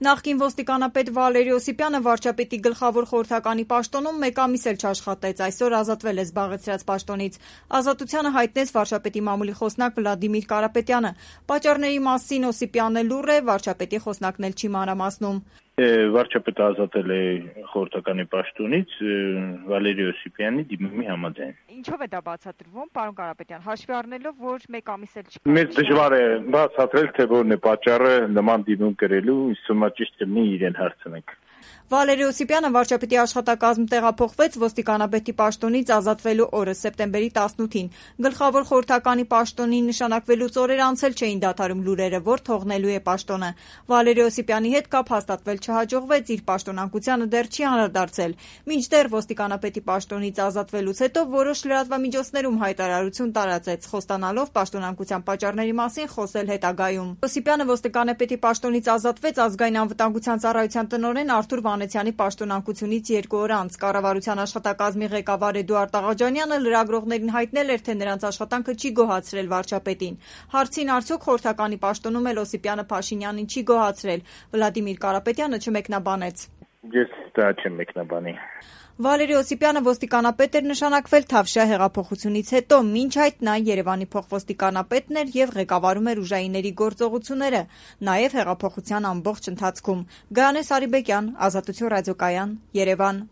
Նախկին ոստիկանապետ Վալերի Օսիպյանը վարչապետի գլխավոր խորհրդականի պաշտոնում մեկ ամիս էլ չաշխատեց, այսօր ազատվել է զբաղեցրած պաշտոնից։ Ազատությանը հայտնեց վարչապետի մամուլի խոսնակ Վլադիմիր Կարապետյանը։ Պատճառների մասին Օսիպյանն լուռ է, վարչապետի խոսնակն էլ չի մանրամասնում։ Վարչապետը ազատել է խորհրդականի պաշտոնից Վալերի Օսիպյանի դիմումի համաձայն։ Ինչով է դա բացատրվում, պարոն Կարապետյան, հաշվի առնելով, որ մեկ ամիս էլ չկա։ Մեզ դժվար է բացատրել, թե որն է պատճառը նման դիմում կրելու, ինձ թվում է ճիշտ կլինի իրեն հարցնենք։ Վալերի Օսիպյանը վարչապետի աշխատակազմ տեղափոխվեց ոստիկանապետի պաշտոնից ազատվելու օրը սեպտեմբերի 18-ին։ Գլխավոր խորհրդականի պաշտոնին նշանակվելուց օրեր անցել չէին դադարում լուրերը, որ թողնելու է պաշտոնը։ Վալերի Օսիպյանի հետ կապ հաստատվել չհաջողվեց, իր պաշտոնանկությանը դեռ չի անդրադարձել։ Մինչդեռ ոստիկանապետի պաշտոնից ազատվելուց հետո որոշ լրատվամիջոցներում հայտարարություն տարածեց, խոստանալով պաշտոնանկության պատճառների մասին խոսել հետագայում։ Օսիպյանը ոստիկանապետի պաշտոնից ազատվեց ազգային անվտանգության ծառայության տնօրեն Արթուր Վանեցյանի պաշտոնանկությունից 2 օր անց։ Կառավարության աշխատակազմի ղեկավար Էդուարդ Աղաջանյանը լրագրողներին հայտնել էր, թե նրանց աշխատանքը չի գոհացրել վարչապետին։ Հարցին արդյոք խորհրդականի պաշտոնում էլ Օսիպյանը Փաշինյանին չի գոհացրել, Վլադիմիր Կարապետյանը չմեկնաբանեց։ Ես դա չեմ մեկնաբանի։ Վալերի Օսիպյանը ոստիկանապետ էր նշանակվել Թավշյա հեղափոխությունից հետո, մինչ այդ նա Երևանի փոխոստիկանապետն էր եւ ղեկավարում էր ուժայինների գործողությունները, նաեւ հեղափոխության ամբողջ ընթացքում։ Գայանե Սարիբեկյան, Ազատություն ռադիոկայան, Երևան։